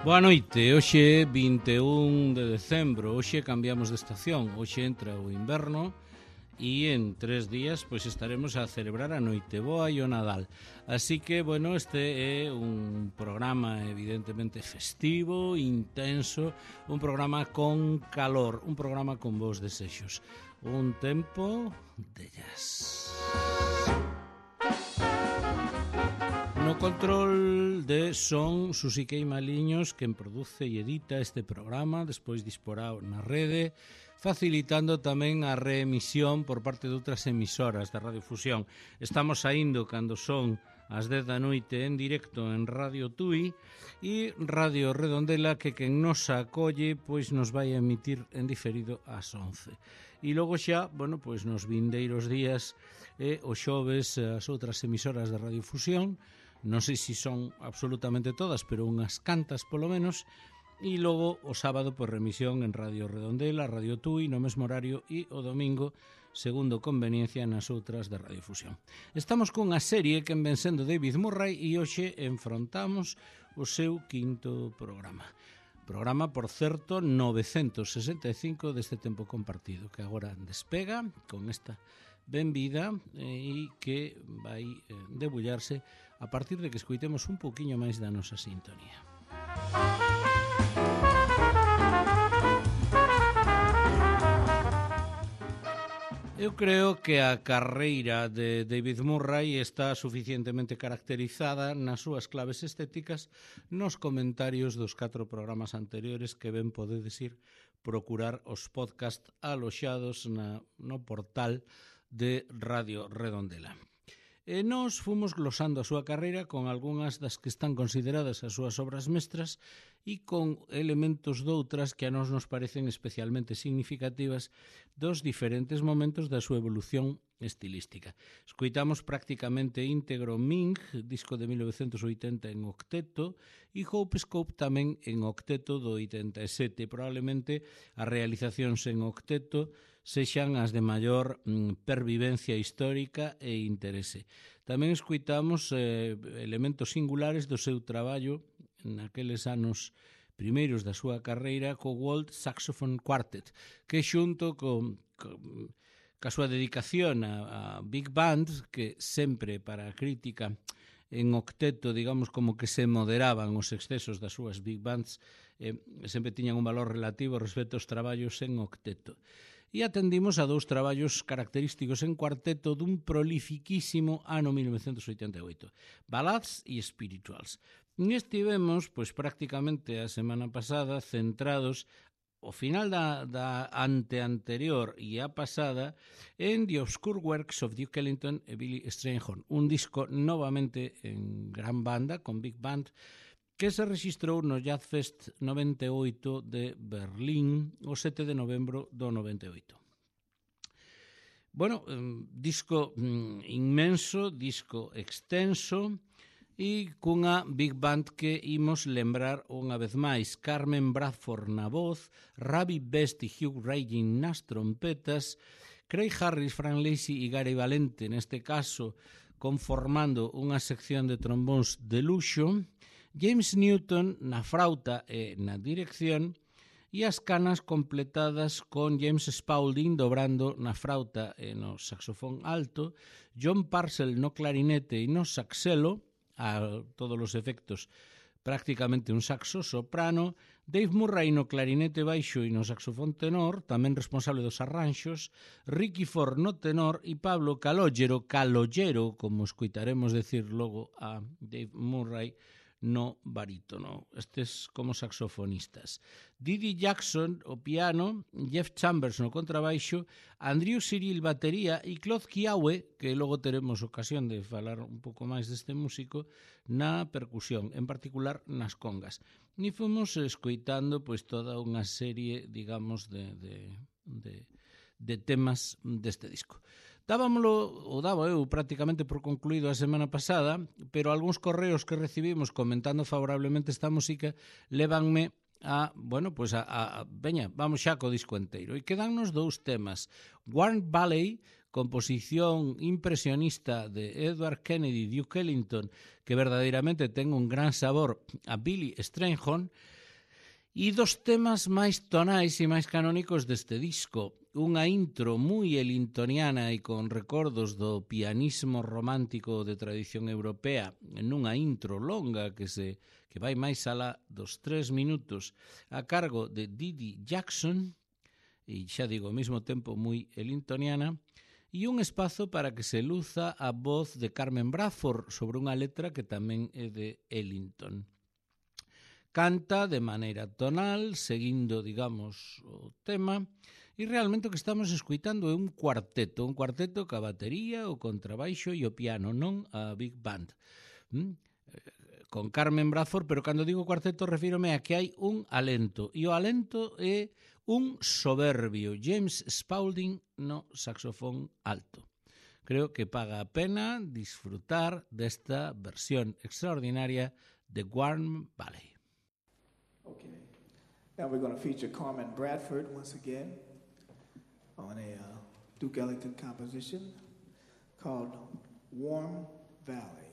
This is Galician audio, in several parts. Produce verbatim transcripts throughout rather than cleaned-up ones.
Boa noite, hoxe é vinte e un de decembro, hoxe cambiamos de estación, hoxe entra o inverno e en tres días pois estaremos a celebrar a Noiteboa e o Nadal. Así que, bueno, este é un programa evidentemente festivo, intenso, un programa con calor, un programa con bons desexos, un tempo de jazz. No control de son Susiquei Maliños, quen produce e edita este programa, despois disporá na rede, facilitando tamén a reemisión por parte de outras emisoras da radiofusión. Estamos saindo cando son as dez da noite en directo en Radio Tui e Radio Redondela, que quen nos acolle pois nos vai a emitir en diferido ás once. E logo xa, bueno, pois nos vindeiros días e os xoves as outras emisoras da radiofusión, non sei se son absolutamente todas, pero unhas cantas polo menos, e logo o sábado por remisión en Radio Redondela, Radio Tui, no mesmo horario, e o domingo, segundo conveniencia, nas outras de Radiofusión. Estamos cunha serie que ven sendo David Murray e hoxe enfrontamos o seu quinto programa. Programa, por certo, novecentos sesenta e cinco deste tempo compartido, que agora despega con esta benvida e que vai debullarse a partir de que escoitemos un pouquiño máis da nosa sintonía. Eu creo que a carreira de David Murray está suficientemente caracterizada nas súas claves estéticas nos comentarios dos catro programas anteriores que ben podedes ir procurar os podcast aloxados na, no portal de Radio Redondela. E nós fomos glosando a súa carreira con algunhas das que están consideradas as súas obras mestras e con elementos doutras que a nós nos parecen especialmente significativas dos diferentes momentos da súa evolución estilística. Escoitamos prácticamente íntegro Ming, disco de mil novecentos oitenta en octeto, e Hope Scope tamén en octeto do oitenta e sete. Probablemente as realizacións en octeto sexan as de maior mm, pervivencia histórica e interese. Tamén escoitamos eh, elementos singulares do seu traballo naqueles anos primeiros da súa carreira co World Saxophone Quartet, que xunto con, con ca súa dedicación a, a Big Band, que sempre para a crítica en octeto, digamos, como que se moderaban os excesos das súas Big Bands, eh, sempre tiñan un valor relativo respecto aos traballos en octeto. E atendimos a dous traballos característicos en cuarteto dun prolifiquísimo ano mil novecentos oitenta e oito, Ballads e Spirituals. E estivemos, pois prácticamente a semana pasada, centrados o final da, da ante-anterior e a pasada en The Obscure Works of Duke Ellington e Billy Strayhorn, un disco novamente en gran banda, con Big Band, que se registrou no Jazz Fest noventa e oito de Berlín o sete de novembro do noventa e oito. Bueno, disco inmenso, disco extenso e cunha Big Band que imos lembrar unha vez máis. Carmen Bradford na voz, Ravi Best e Hugh Reign nas trompetas, Craig Harris, Frank Lacey e Gary Valente, neste caso conformando unha sección de trombóns de luxo, James Newton na frauta e na dirección e as canas completadas con James Spaulding dobrando na frauta e no saxofón alto, John Purcell no clarinete e no saxelo, a todos os efectos prácticamente un saxo soprano, Dave Murray no clarinete baixo e no saxofón tenor, tamén responsable dos arranxos, Ricky Ford no tenor e Pablo Calogero, Calollero, como escoitaremos decir logo a Dave Murray, no barítono, estes como saxofonistas. Didi Jackson o piano, Jeff Chambers no contrabaixo, Andrew Cyril batería e Claude Kiawe, que logo teremos ocasión de falar un pouco máis deste músico, na percusión, en particular nas congas. E fomos escoitando pois toda unha serie, digamos, de, de, de, de temas deste disco. Dábamolo, ou daba eu prácticamente por concluído a semana pasada, pero algúns correos que recibimos comentando favorablemente esta música levanme a, bueno, pois a, a, veña, vamos xa co disco enteiro. E quedannos dous temas. Warm Valley, composición impresionista de Edward Kennedy, Duke Ellington, que verdadeiramente ten un gran sabor a Billy Strayhorn, E dos temas máis tonais e máis canónicos deste disco, unha intro moi elintoniana e con recordos do pianismo romántico de tradición europea, nunha intro longa que se que vai máis alá dos tres minutos a cargo de Didi Jackson, e xa digo, ao mesmo tempo moi elintoniana, e un espazo para que se luza a voz de Carmen Bradford sobre unha letra que tamén é de Ellington. Canta de maneira tonal, seguindo, digamos, o tema, e realmente o que estamos escuitando é un cuarteto, un cuarteto ca batería, o contrabaixo e o piano, non a big band. ¿Mm? Con Carmen Bradford, pero cando digo cuarteto refírome a que hai un alento, e o alento é un soberbio James Spaulding no saxofón alto. Creo que paga a pena disfrutar desta versión extraordinaria de Warm Valley. Okay. Now we're going to feature Carmen Bradford once again on a uh, Duke Ellington composition called Warm Valley.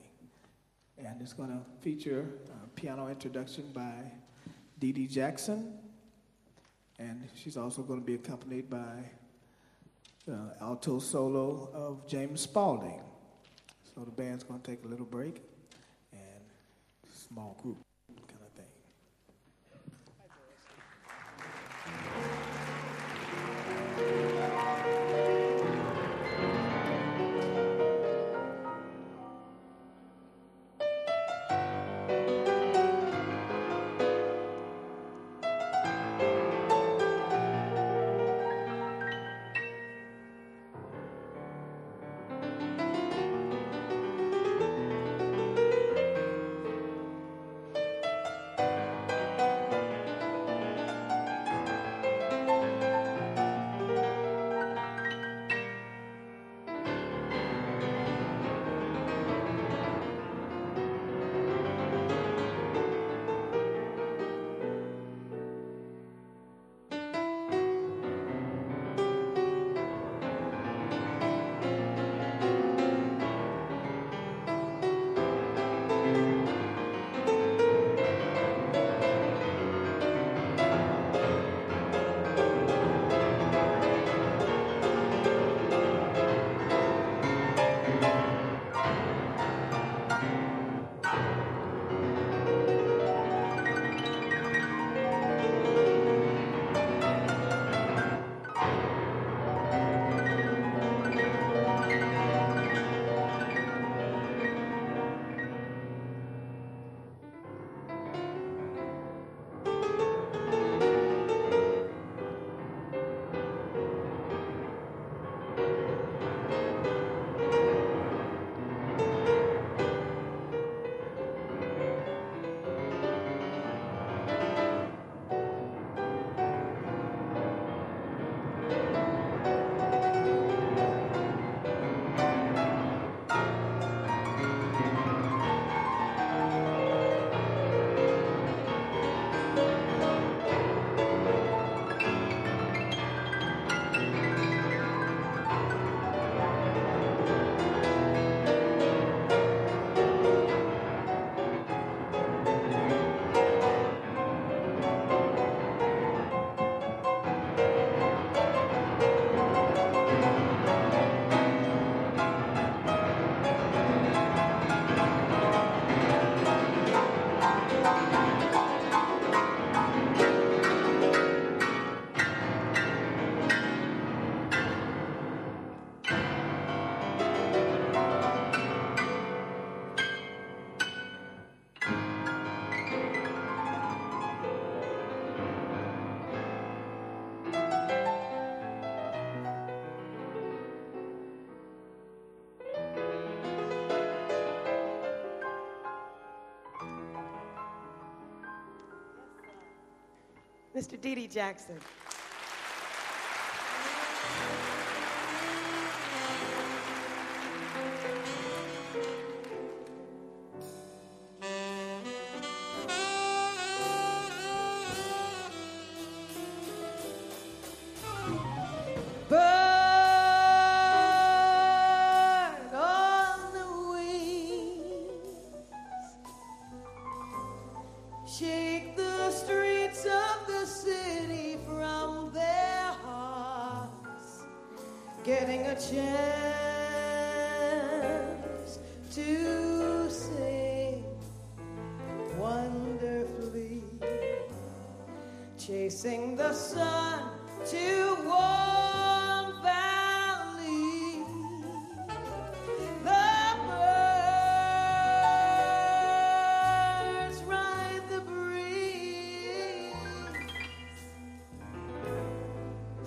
And it's going to feature a piano introduction by Didi Jackson. And she's also going to be accompanied by the alto solo of James Spaulding. So the band's going to take a little break and small group. Mister Didi Jackson. Bird on the wings, shake the streets of getting a chance to sing wonderfully, chasing the sun to warm valley. The birds ride the breeze,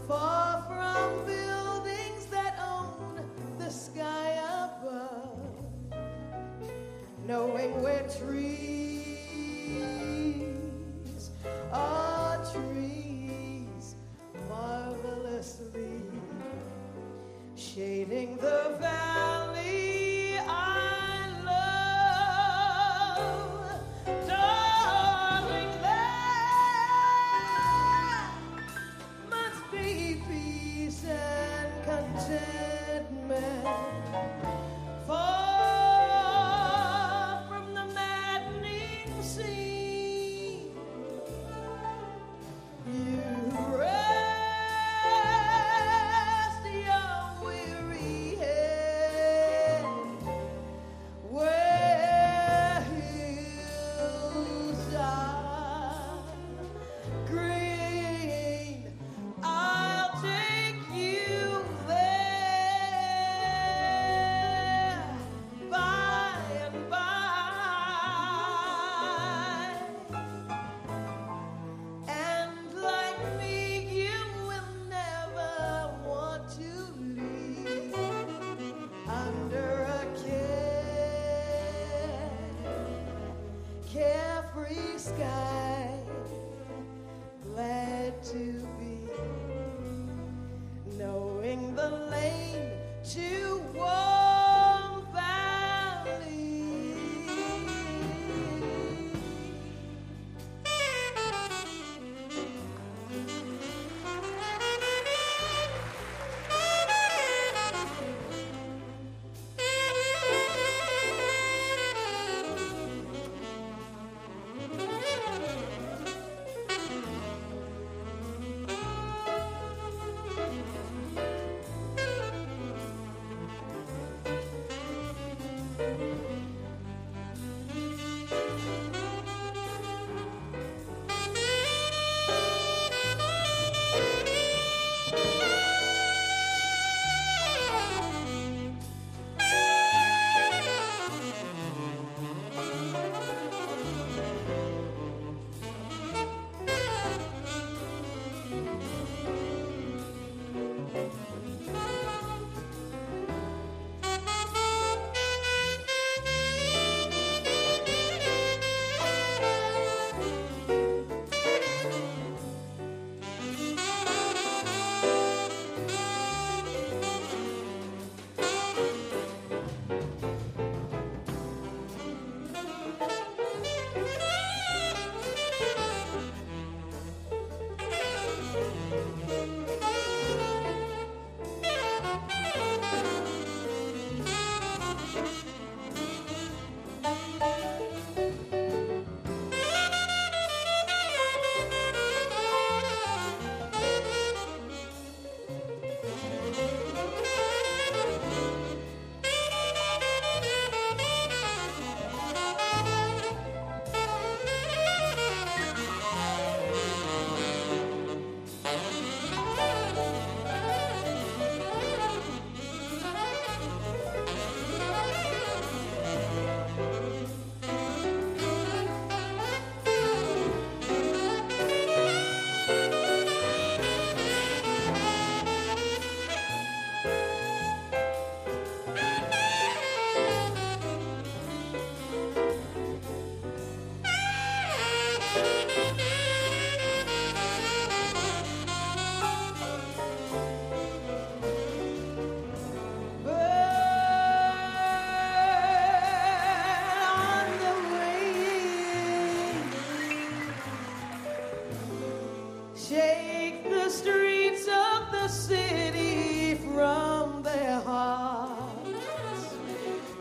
far from buildings that own the sky above, knowing where trees are trees, marvelously shading the valley I love. Darling, there must be peace and contentment, far from the maddening sea. You rest your weary head where hills are green. I'll take you there by and by. And like me, you will never want to leave under a care, carefree sky. Glad to be knowing the lane to warm valley.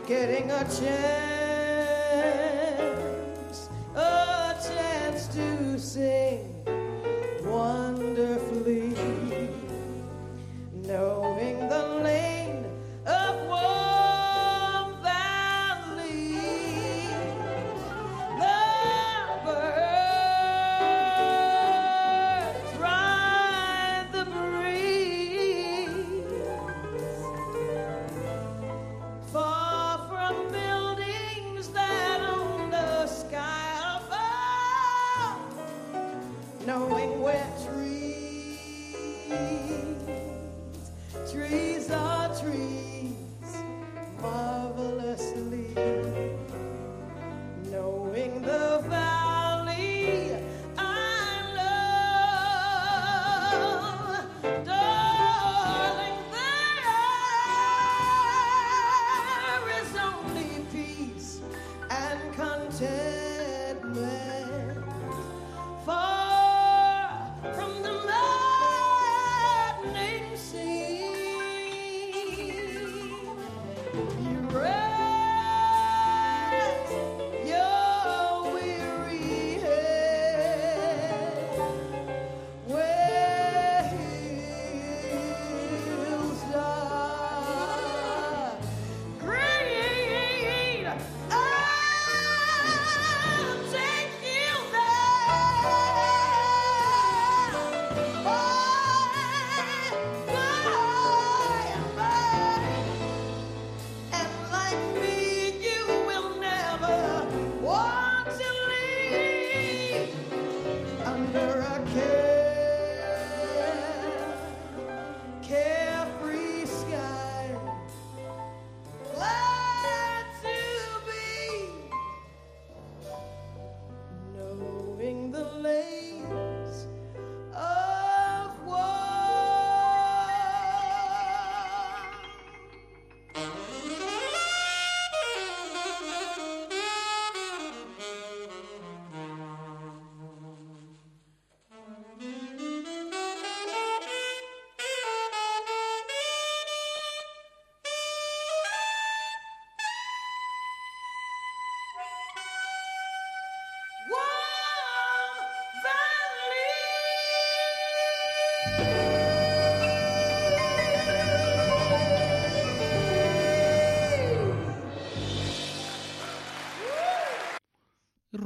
Getting a chance, a chance to sing wonderfully, knowing the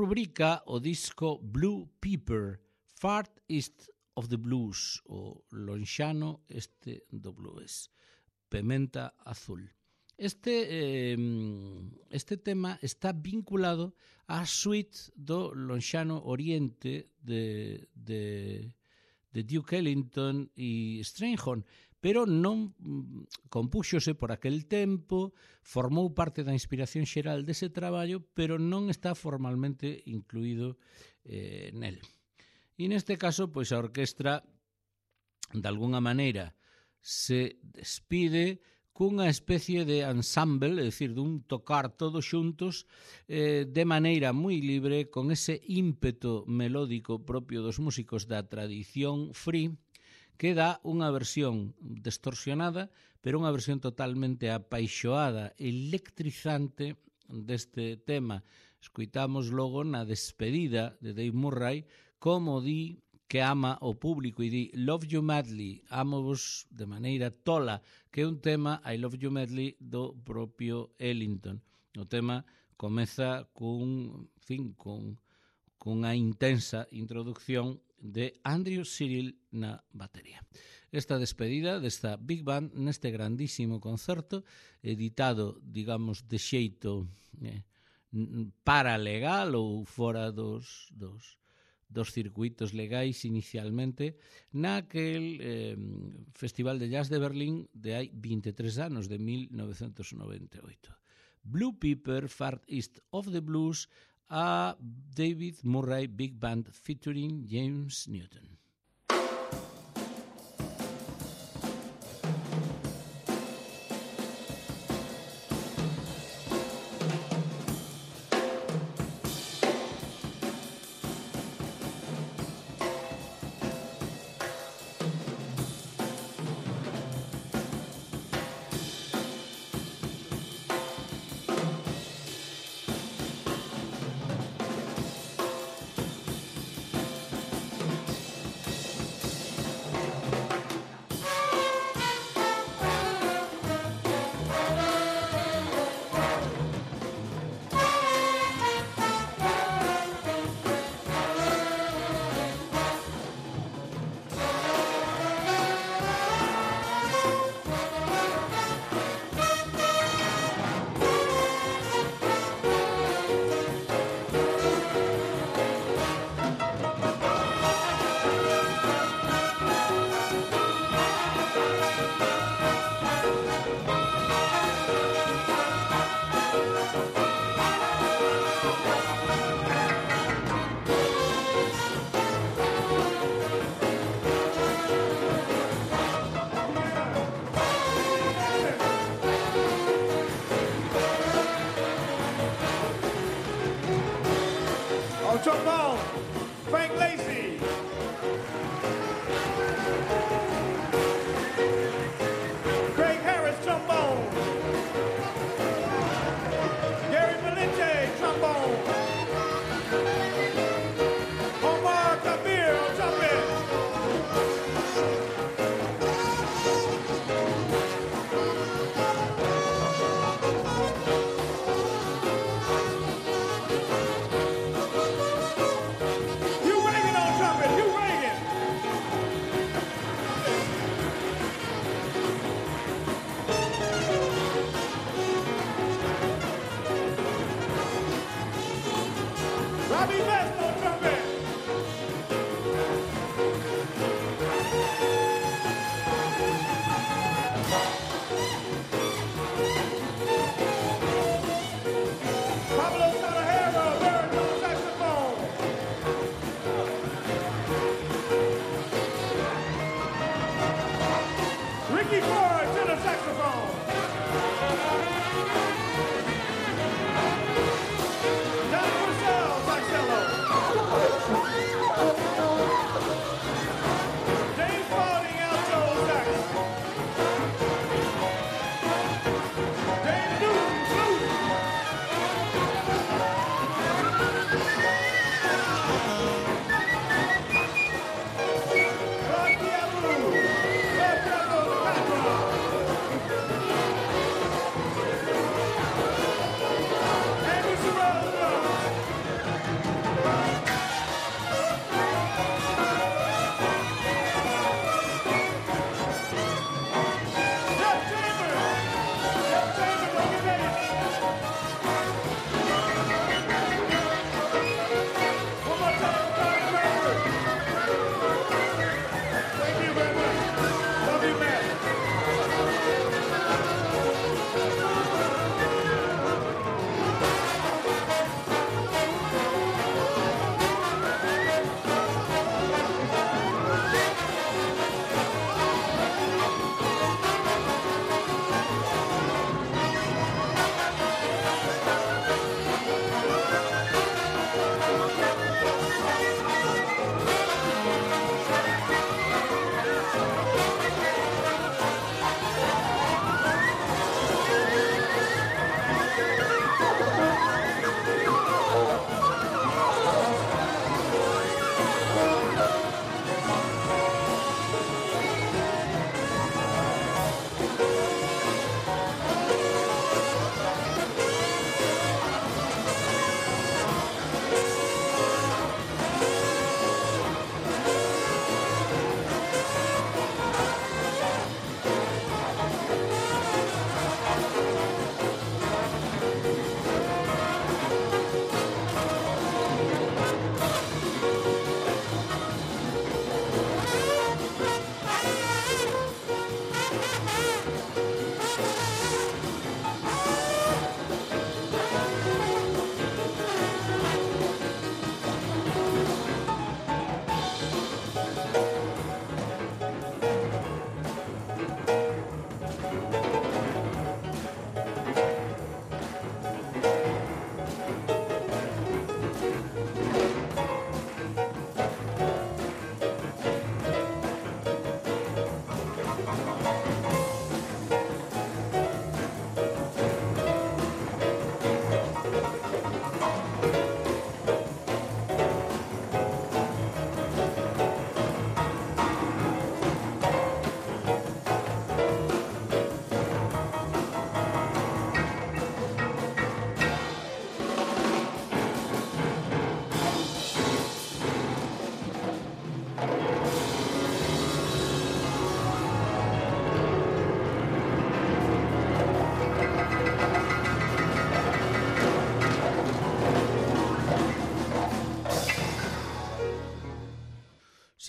rubrica o disco Blue Pepper, Far East of the Blues, o lonxano este do blues, Pementa Azul. Este, eh, este tema está vinculado á suite do lonxano Oriente de, de, de Duke Ellington e Strayhorn, pero non compúxose por aquel tempo, formou parte da inspiración xeral dese traballo, pero non está formalmente incluído eh, nel. E neste caso, pois a orquestra, de alguna maneira, se despide cunha especie de ensemble, é dicir, dun tocar todos xuntos eh, de maneira moi libre, con ese ímpeto melódico propio dos músicos da tradición free, que dá unha versión distorsionada, pero unha versión totalmente apaixoada, electrizante deste tema. Escoitamos logo na despedida de Dave Murray como di que ama o público e di Love You Madly, amo-vos de maneira tola, que é un tema, I Love You Madly, do propio Ellington. O tema comeza cun, fin, cun, cunha intensa introducción de Andrew Cyril na batería. Esta despedida desta Big Band neste grandísimo concerto, editado, digamos, de xeito eh, paralegal ou fora dos... dos dos circuitos legais inicialmente naquel eh, Festival de Jazz de Berlín de hai vinte e tres anos, de mil novecentos noventa e oito. Blue Pepper, Far East of the Blues, a David Murray Big Band featuring James Newton.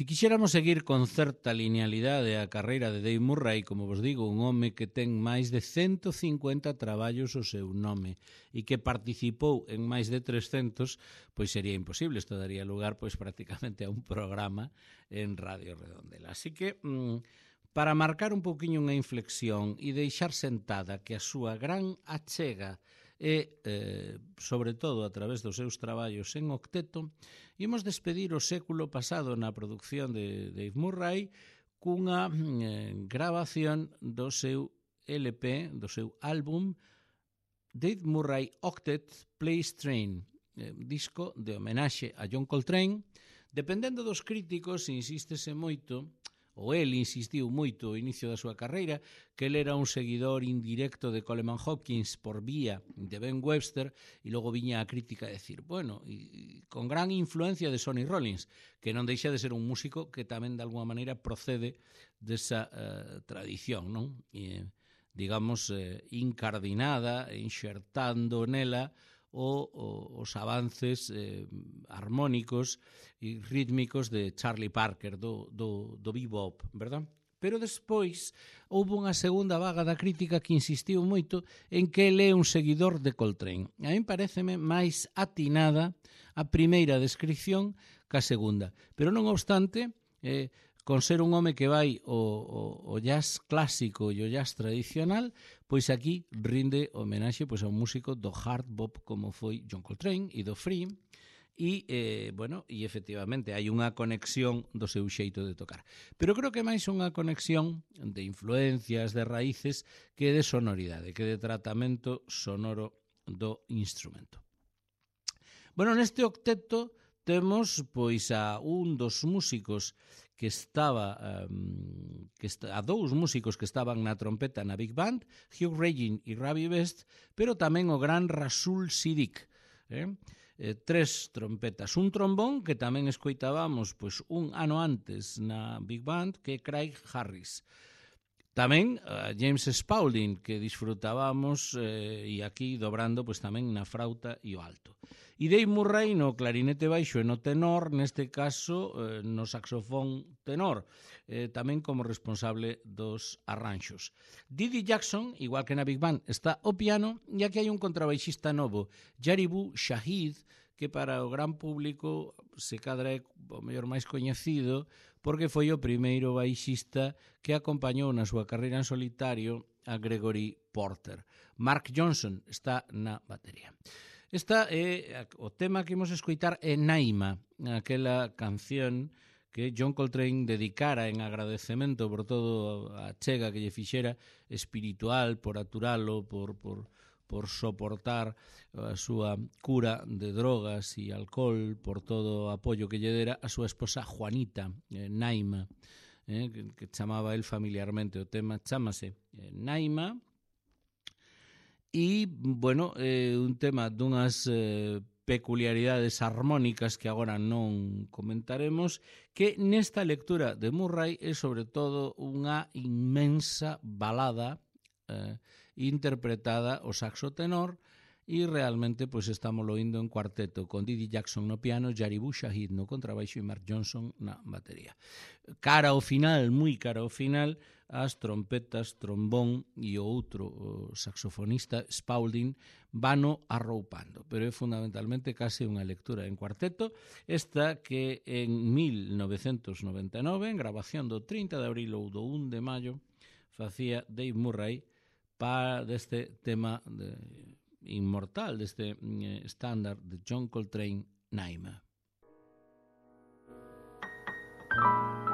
Si quixéramos seguir con certa linealidade a carreira de Dave Murray, como vos digo, un home que ten máis de ciento cincuenta traballos ao seu nome e que participou en máis de trescentos, pois sería imposible, isto daría lugar pois prácticamente a un programa en Radio Redondela. Así que, mmm, para marcar un pouquiño unha inflexión e deixar sentada que a súa gran achega e, eh, sobre todo, a través dos seus traballos en octeto, imos despedir o século pasado na produción de Dave Murray cunha eh, grabación do seu L P, do seu álbum Dave Murray Octet Plays Train, eh, disco de homenaxe a John Coltrane. Dependendo dos críticos, insístese moito, ou el insistiu moito ao inicio da súa carreira, que ele era un seguidor indirecto de Coleman Hawkins por vía de Ben Webster, e logo viña a crítica a decir, bueno, e, e con gran influencia de Sonny Rollins, que non deixa de ser un músico que tamén de alguma maneira procede desa uh, tradición, non? E, digamos, eh, incardinada, enxertando nela o, o, os avances eh, armónicos e rítmicos de Charlie Parker, do, do, do bebop, verdad? Pero despois houve unha segunda vaga da crítica que insistiu moito en que ele é un seguidor de Coltrane. A mí pareceme máis atinada a primeira descripción que a segunda. Pero non obstante, eh, con ser un home que vai o, o, o jazz clásico e o jazz tradicional, pois aquí rinde homenaxe pois, a un músico do hard bop como foi John Coltrane e do free, e, eh, bueno, e efectivamente hai unha conexión do seu xeito de tocar. Pero creo que máis unha conexión de influencias, de raíces, que de sonoridade, que de tratamento sonoro do instrumento. Bueno, neste octeto temos pois a un dos músicos que estaba um, que está, a dous músicos que estaban na trompeta na Big Band, Hugh Regin e Ravi Best, pero tamén o gran Rasul Siddiq, eh? Eh, tres trompetas, un trombón que tamén escoitábamos pois un ano antes na Big Band, que é Craig Harris. Tamén uh, James Spaulding, que disfrutábamos eh, e aquí dobrando pois tamén na frauta e o alto. E Dave Murray no clarinete baixo e no tenor, neste caso eh, no saxofón tenor, eh, tamén como responsable dos arranxos. Didi Jackson, igual que na Big Band, está ao piano, e aquí hai un contrabaixista novo, Jaribu Shahid, que para o gran público se cadra é o mellor máis coñecido, porque foi o primeiro baixista que acompañou na súa carreira en solitario a Gregory Porter. Mark Johnson está na batería. Esta é o tema que imos escoitar é Naima, aquela canción que John Coltrane dedicara en agradecemento por todo a chega que lle fixera espiritual, por aturalo, por, por, por soportar a súa cura de drogas e alcohol, por todo o apoio que lle dera a súa esposa Juanita, eh, Naima, eh, que, que chamaba el familiarmente. O tema chámase eh, Naima. E, bueno, eh, un tema dunhas eh, peculiaridades armónicas que agora non comentaremos, que nesta lectura de Murray é sobre todo unha inmensa balada eh, interpretada ao saxo tenor, e realmente pois estamos oindo en cuarteto con Didi Jackson no piano, Jaribu Shahid no contrabaixo e Mark Johnson na batería. Cara ao final, moi cara ao final, as trompetas, trombón e o outro o saxofonista Spaulding vano arroupando, pero é fundamentalmente case unha lectura en cuarteto, esta que en mil novecentos noventa e nove, en grabación do trinta de abril ou do un de maio, facía Dave Murray para deste tema de inmortal, deste eh, estándar de John Coltrane, Naima. Thank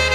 you.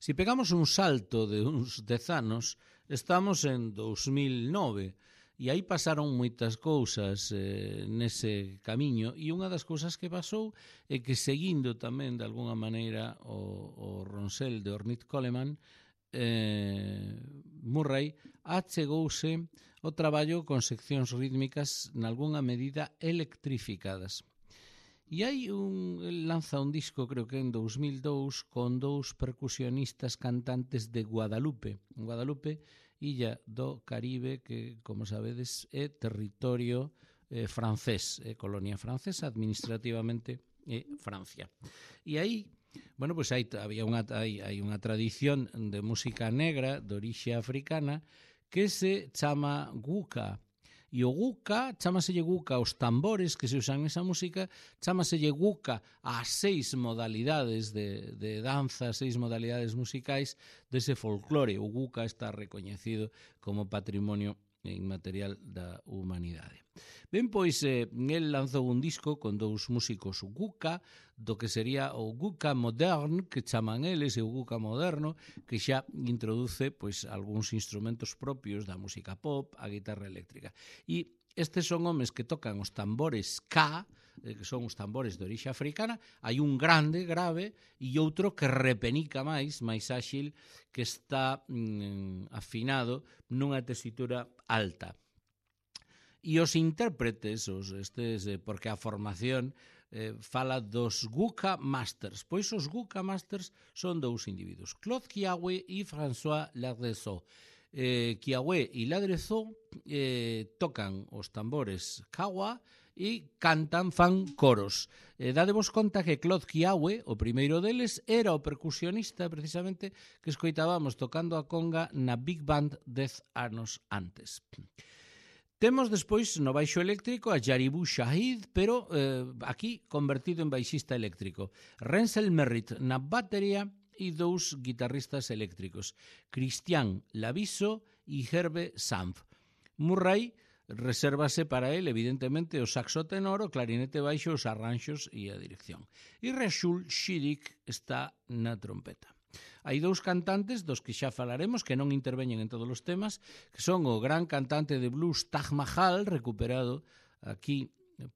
Si pegamos un salto de uns dez anos, estamos en dos mil nove, e aí pasaron moitas cousas eh, nese camiño, e unha das cousas que pasou é que, seguindo tamén de alguna maneira o, o Ronsel de Ornette Coleman, eh, Murray achegouse o traballo con seccións rítmicas nalgúna medida electrificadas. E hai un, el lanza un disco, creo que en dos mil dous, con dous percusionistas cantantes de Guadalupe. Guadalupe, illa do Caribe, que, como sabedes, é territorio eh, francés, é colonia francesa, administrativamente é Francia. E aí, bueno, pues hai, había unha, hai, hai unha tradición de música negra de orixe africana que se chama guka. E o guka, chámaselle guka aos tambores que se usan nesa música, chámaselle guka ás seis modalidades de, de danza, seis modalidades musicais dese folclore. O guka está recoñecido como patrimonio inmaterial da humanidade. Ben, pois, eh, el lanzou un disco con dous músicos guka, do que sería o guka modern, que chaman eles, e o guka moderno, que xa introduce pois algúns instrumentos propios da música pop, a guitarra eléctrica. E estes son homes que tocan os tambores K, que son os tambores de orixe africana. Hai un grande, grave, e outro que repenica máis, máis áxil, que está mm, afinado nunha tesitura alta. E os intérpretes, os estes, eh, porque a formación eh, fala dos Guka Masters. Pois os Guka Masters son dous individuos, Claude Kiawe e François Ladreau. Eh, Kiawe e Ladreau eh, tocan os tambores Kawa e cantan, fan coros. Eh, dadevos conta que Claude Kiawe, o primeiro deles, era o percusionista precisamente que escoitábamos tocando a conga na Big Band dez anos antes. Temos despois no baixo eléctrico a Jaribou Shahid, pero eh, aquí convertido en baixista eléctrico. Rensel Merritt na batería e dous guitarristas eléctricos, Christian Laviso e Herbe Sanf. Murray resérvase para él, evidentemente, o saxo tenor, o clarinete baixo, os arranxos e a dirección. E Rachel Shiddick está na trompeta. Hai dous cantantes dos que xa falaremos, que non interveñen en todos os temas, que son o gran cantante de blues Taj Mahal, recuperado aquí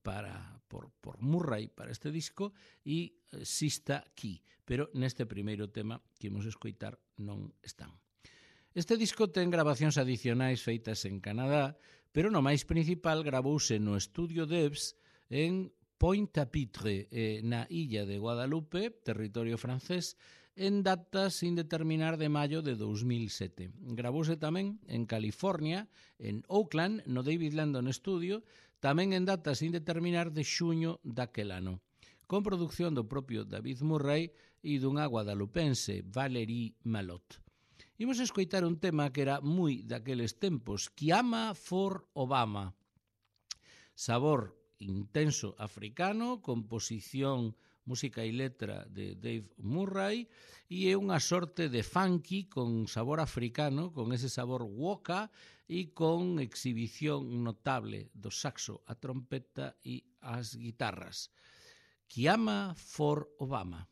para, por, por Murray para este disco, e Sista Key, pero neste primeiro tema que imos escoitar non están. Este disco ten grabacións adicionais feitas en Canadá, pero no máis principal gravouse no estudio Debs en Pointe-à-Pitre, eh, na illa de Guadalupe, territorio francés, en datas sin determinar de maio de dos mil sete. Gravouse tamén en California, en Oakland, no David Landon Studio, tamén en datas sin determinar de xuño daquel ano, con produción do propio David Murray e dunha guadalupense, Valérie Malot. Imos escoitar un tema que era moi daqueles tempos, Kiama for Obama. Sabor intenso africano, composición, música e letra de Dave Murray, e é unha sorte de funky con sabor africano, con ese sabor woka e con exhibición notable do saxo, a trompeta e as guitarras. Kiama for Obama.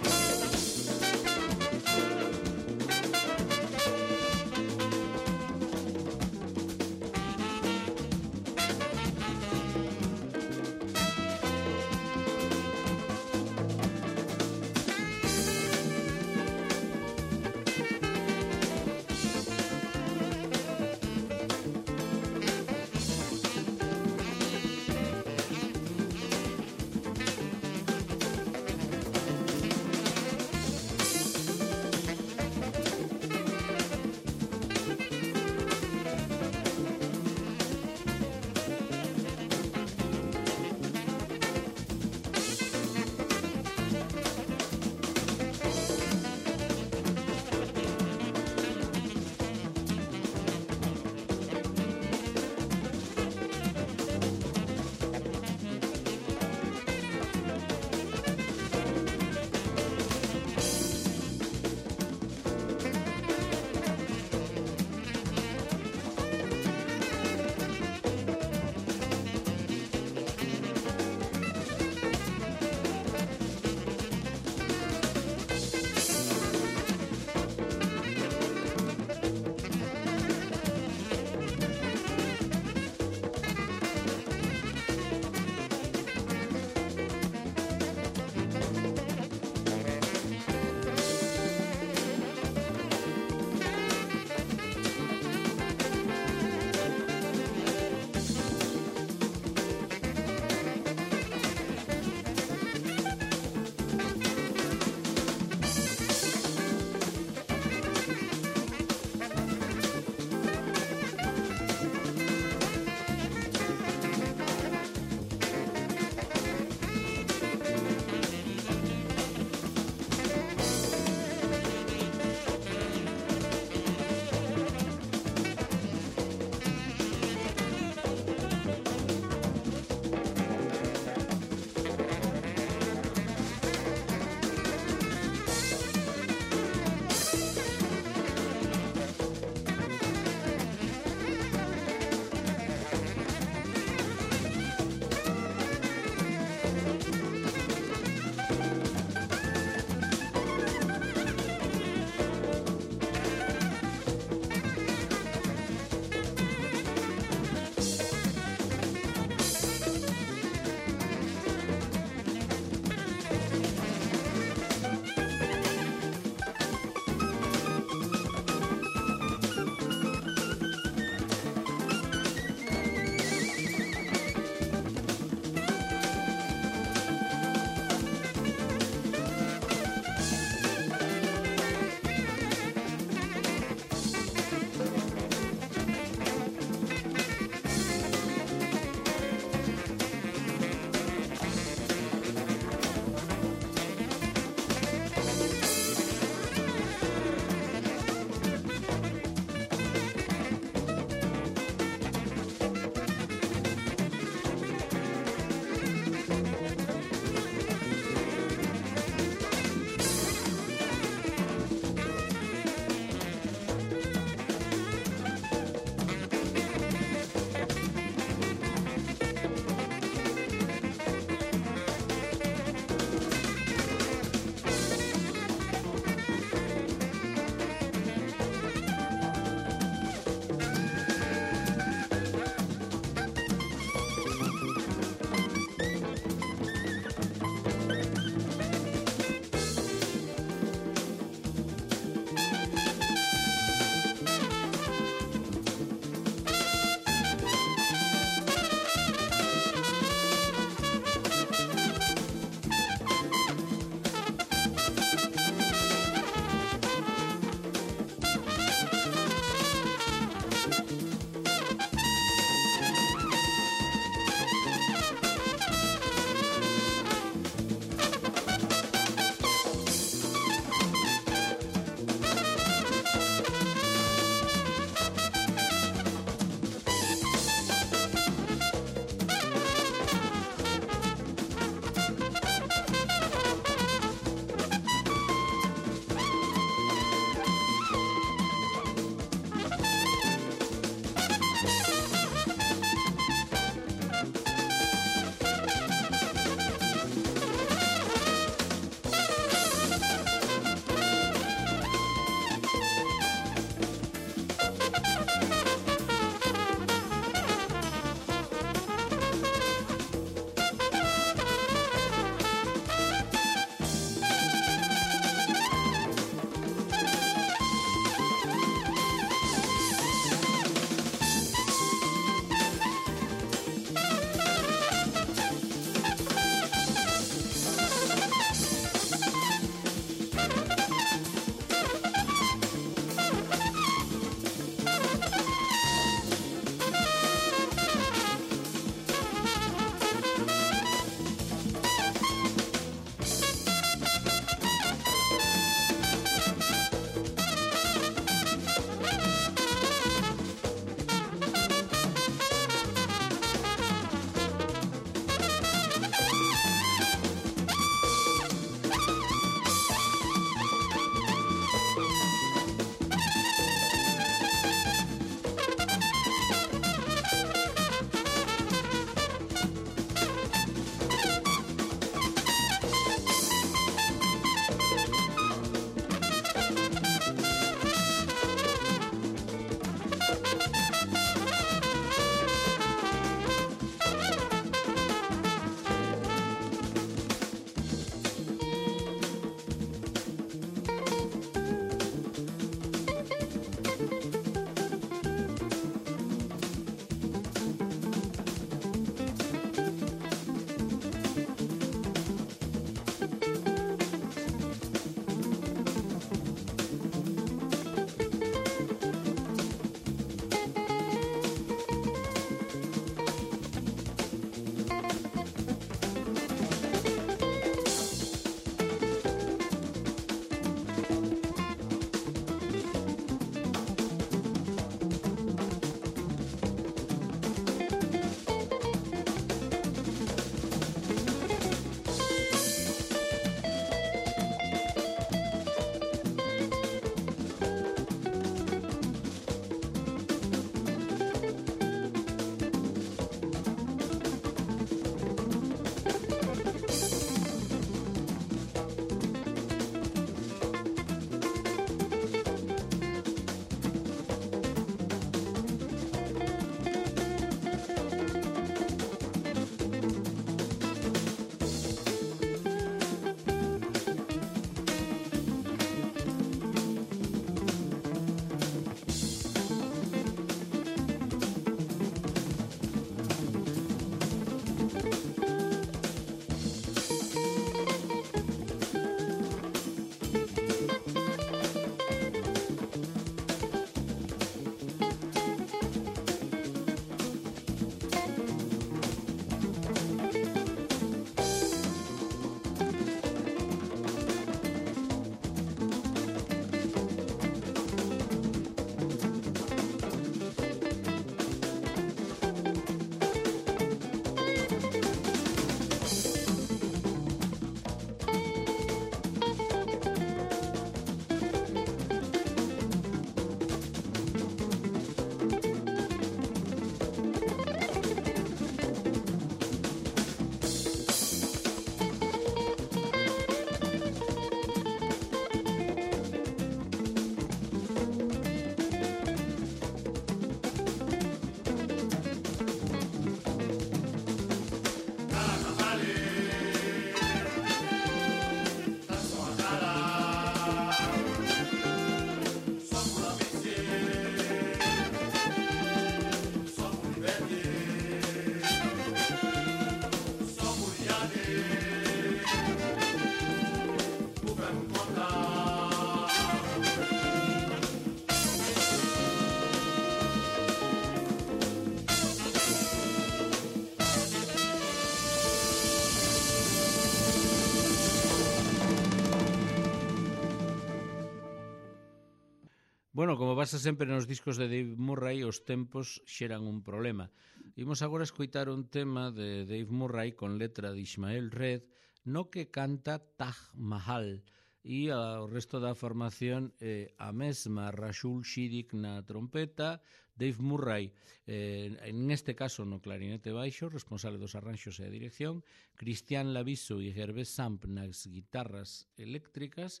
Bueno, como pasa sempre nos discos de Dave Murray, os tempos xeran un problema. Imos agora escoitar un tema de Dave Murray con letra de Ismael Red, no que canta Taj Mahal, e o resto da formación eh, a mesma Rashul Shidik na trompeta, Dave Murray eh, en este caso no clarinete baixo, responsable dos arranxos e a dirección, Christian Laviso e Gervais Samp nas guitarras eléctricas,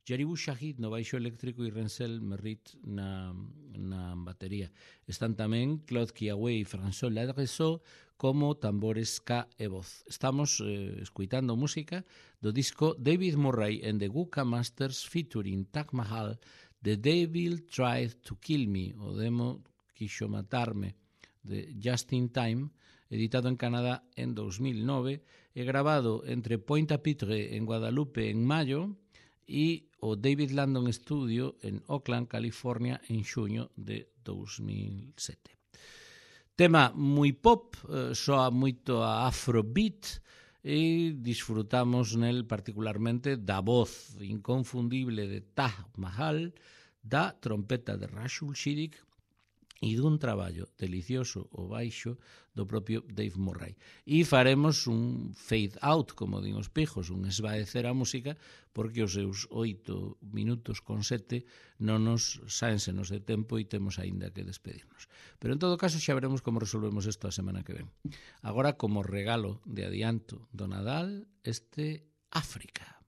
Jaribu Shahid no baixo eléctrico e Rensel Merritt na, na batería. Están tamén Claude Kiawe e François Ladresso como tambores ska e voz. Estamos eh, escuitando música do disco David Murray and the Guka Masters featuring Taj Mahal, The Devil Tried to Kill Me, o demo Quixo Matarme, de Just in Time, editado en Canadá en dos mil nove e grabado entre Pointe-à-Pitre en Guadalupe en maio e o David Landon Studio en Oakland, California, en xuño de dos mil sete. Tema moi pop, eh, soa moito a afrobeat e disfrutamos nel particularmente da voz inconfundible de Taj Mahal, da trompeta de Rashul Shidik e dun traballo delicioso o baixo do propio Dave Murray. E faremos un fade out, como din os pijos, un esvaecer a música, porque os seus oito minutos con sete non nos sáensenos de tempo e temos aínda que despedirnos. Pero en todo caso xa veremos como resolvemos isto a semana que ven. Agora, como regalo de adianto do Nadal, este África.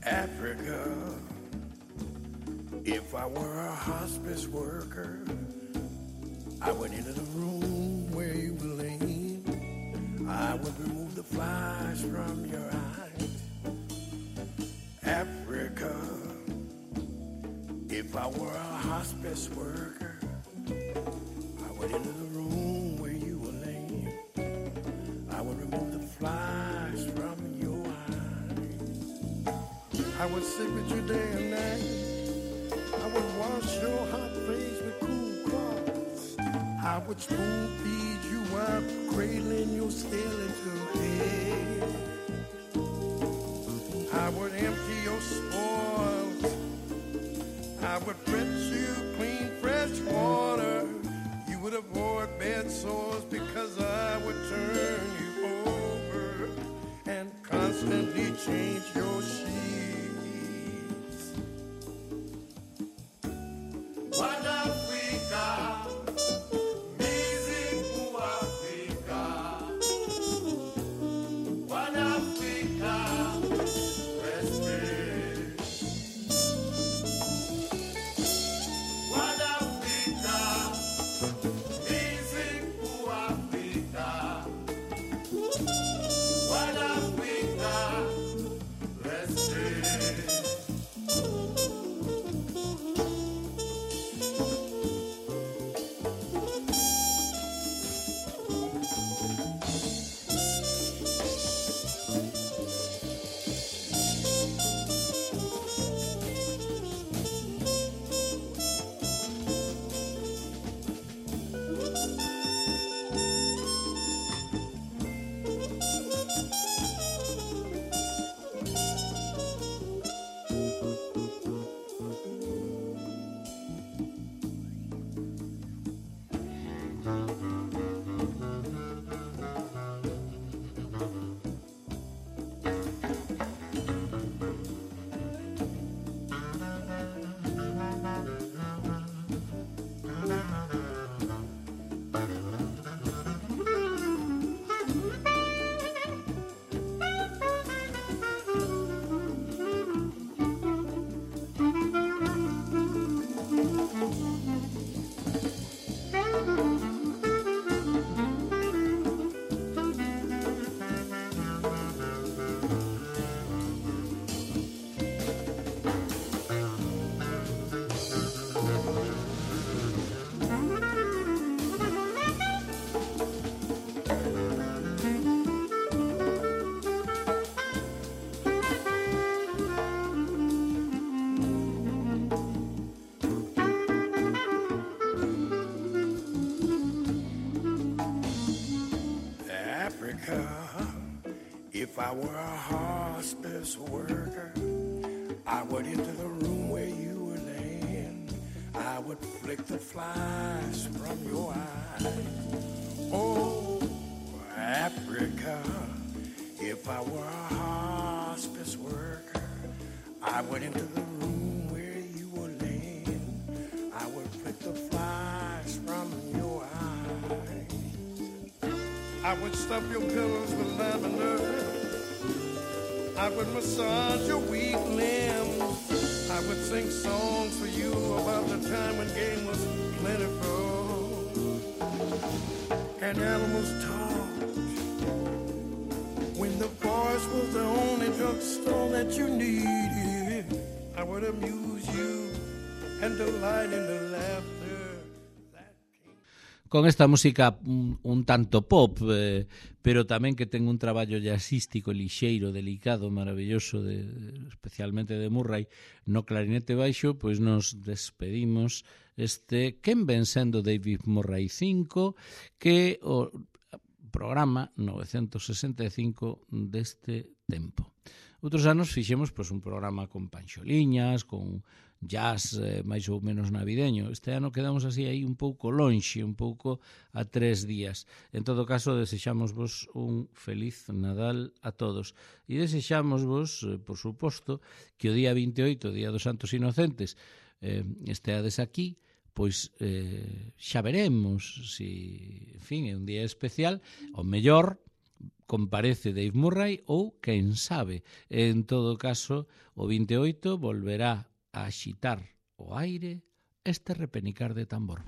Africa, if I were a hospice worker, I would enter the room where you were laying. I would remove the flies from your eyes. Africa, if I were a hospice worker, I would enter the room where you were laying. I would remove the flies from your eyes. I would sit with you day and night. I would wash your hot face with cool cloths. I would spoon feed you while cradling your skeleton head. I would empty your spoils. I would fetch you clean fresh water. You would avoid bed sores because I would turn you over and constantly change your sheets. I were a hospice worker, I would enter the room where you were laying. I would flick the flies from your eyes. Oh, Africa, if I were a hospice worker, I would enter the room where you were laying. I would flick the flies from your eyes. I would stuff your pillows with lavender. I would massage your weak limbs. I would sing songs for you about the time when game was plentiful and animals talked. When the forest was the only drugstore that you needed, I would amuse you and delight in the laughter. Con esta música un, un tanto pop, eh, pero tamén que ten un traballo jazzístico, lixeiro, delicado, maravilloso, de, especialmente de Murray, no clarinete baixo, pois nos despedimos este quen ven sendo David Murray cinco, que o programa novecentos sesenta e cinco deste tempo. Outros anos fixemos pois, un programa con panxoliñas, con jazz eh, máis ou menos navideño. Este ano quedamos así aí un pouco lonxe, un pouco a tres días. En todo caso, desexamos vos un feliz Nadal a todos. E desexamos vos, eh, por suposto, que o día vinte e oito, Día dos Santos Inocentes, eh, esteades aquí, pois eh, xa veremos si, en fin, é un día especial, o mellor comparece Dave Murray ou, quen sabe, en todo caso, o vinte e oito volverá a axitar o aire este repenicar de tambor.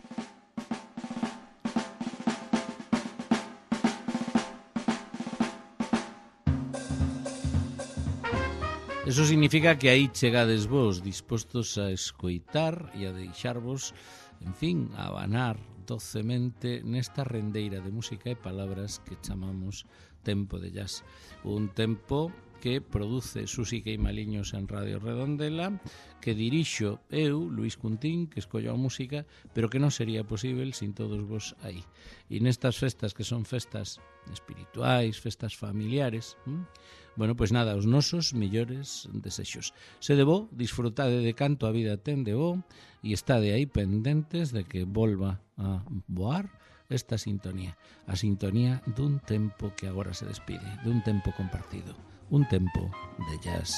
Eso significa que aí chegades vos dispostos a escoitar e a deixarvos, en fin, a abanar docemente nesta rendeira de música e palabras que chamamos tempo de jazz. Un tempo que produce Susi Queimaliños en Radio Redondela, que dirixo eu, Luis Cuntín, que escollo a música, pero que non sería posible sin todos vos aí. E nestas festas que son festas espirituais, festas familiares, hm? bueno, pois nada, os nosos millores desexos. Se debo, disfrutade de canto a vida ten de bo e estade aí pendentes de que volva a voar esta sintonía, a sintonía dun tempo que agora se despide, dun tempo compartido, un tempo de jazz.